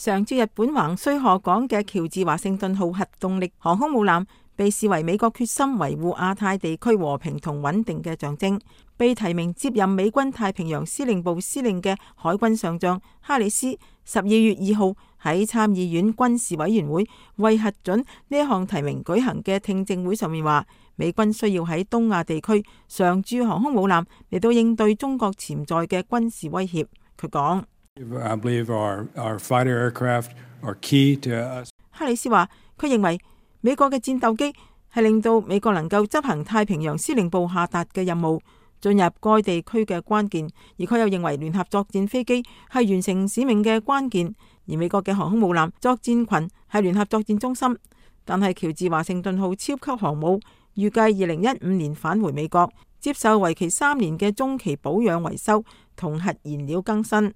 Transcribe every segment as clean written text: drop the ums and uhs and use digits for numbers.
常駐日本橫須賀港嘅喬治華盛頓號核動力航空母艦被視為美國決心維護亞太地區和平同穩定嘅象徵。被提名接任美軍太平洋司令部司令嘅海軍上將哈里斯12月2號喺參議院軍事委員會為核准呢一項提名舉行嘅聽證會上面話，美軍需要喺東亞地區常駐航空母艦嚟到應對中國潛在嘅軍事威脅。佢講，哈里斯話，佢認為美國嘅戰鬥機係令到美國能夠執行太平洋司令部下達嘅任務，進入該地區嘅關鍵。而佢又認為聯合作戰飛機係完成使命嘅關鍵，而美國嘅航空母艦作戰群係聯合作戰中心。但係喬治華盛頓號超級航母預計2015年返回美國，接受為期3年嘅中期保養維修同核燃料更新。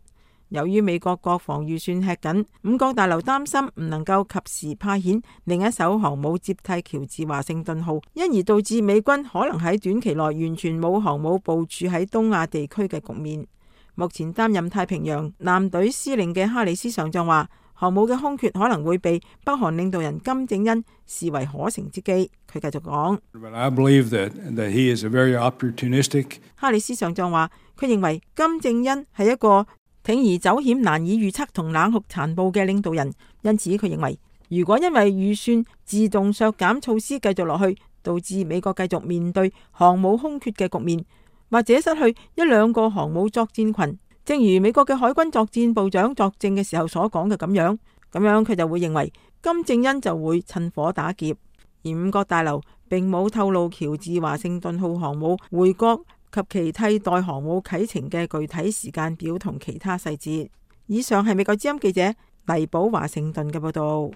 由於美國國防預算吃緊，五角大樓擔心唔能夠及時派遣另一艘航母接替喬治華盛頓號，因而導致美軍可能喺短期內完全冇航母部署喺東亞地區嘅局面。目前擔任太平洋艦隊司令嘅哈里斯上將話，航母嘅空缺可能會被北韓領導人金正恩視為可乘之機。佢繼續講，哈里斯上將話，佢認為金正恩係一個鋌而走險、難以預測同冷酷殘暴嘅領導人，因此佢認為，如果因為預算自動削減措施繼續落去，導致美國繼續面對航母空缺嘅局面，或者失去1-2個航母作戰群，正如美國嘅海軍作戰部長作證嘅時候所講嘅咁樣佢就會認為金正恩就會趁火打劫。而五角大樓並冇透露喬治華盛頓號航母回國及其替代航母啟程嘅具體時間表同其他細節。以上係美國之音記者黎寶華盛頓嘅報道。